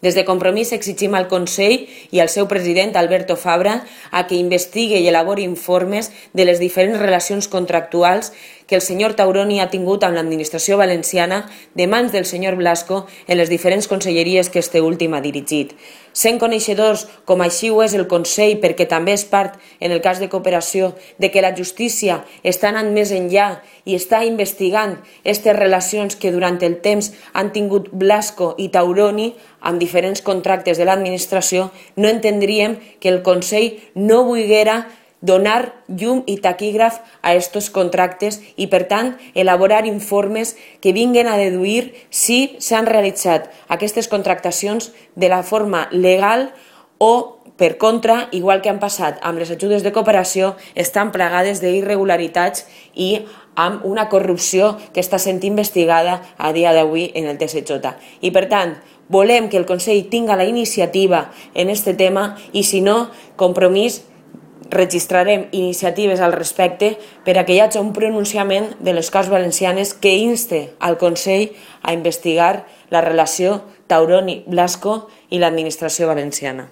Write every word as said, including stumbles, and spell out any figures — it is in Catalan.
Des de Compromís exigim al Consell i al seu president, Alberto Fabra, a que investigue i elabori informes de les diferents relacions contractuals que el senyor Tauroni ha tingut amb l'administració valenciana de mans del senyor Blasco en les diferents conselleries que este últim ha dirigit. Sent coneixedors, com així ho és el Consell, perquè també és part, en el cas de cooperació, de que la justícia està anant més enllà i està investigant aquestes relacions que durant el temps han tingut Blasco i Tauroni amb diferents contractes de l'administració, no entendríem que el Consell no volguera donar llum i taquígraf a aquests contractes i, per tant, elaborar informes que vinguin a deduir si s'han realitzat aquestes contractacions de la forma legal o, per contra, igual que han passat amb les ajudes de cooperació, estan plagades d'irregularitats i amb una corrupció que està sent investigada a dia d'avui en el T S J. I, per tant, volem que el Consell tinga la iniciativa en aquest tema i, si no, Compromís, registrarem iniciatives al respecte per a que hi hagi un pronunciament de les Corts Valencianes que inste al Consell a investigar la relació Tauroni-Blasco i l'administració valenciana.